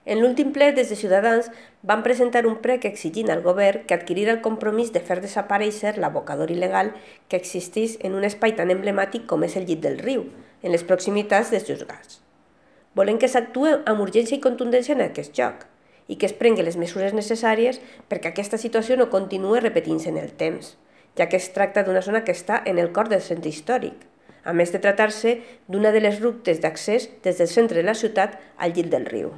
En l'últim ple, des de Ciutadans, van presentar un prec exigint al govern que adquirira el compromís de fer desaparèixer l'abocador il·legal que existeix en un espai tan emblemàtic com és el llit del riu, en les proximitats dels juzgats. Volem que s'actue amb urgència i contundència en aquest lloc i que es prenguen les mesures necessàries perquè aquesta situació no continuï repetint-se en el temps, ja que es tracta d'una zona que està en el cor del centre històric, a més de tractar-se d'una de les rutes d'accés des del centre de la ciutat al llit del riu.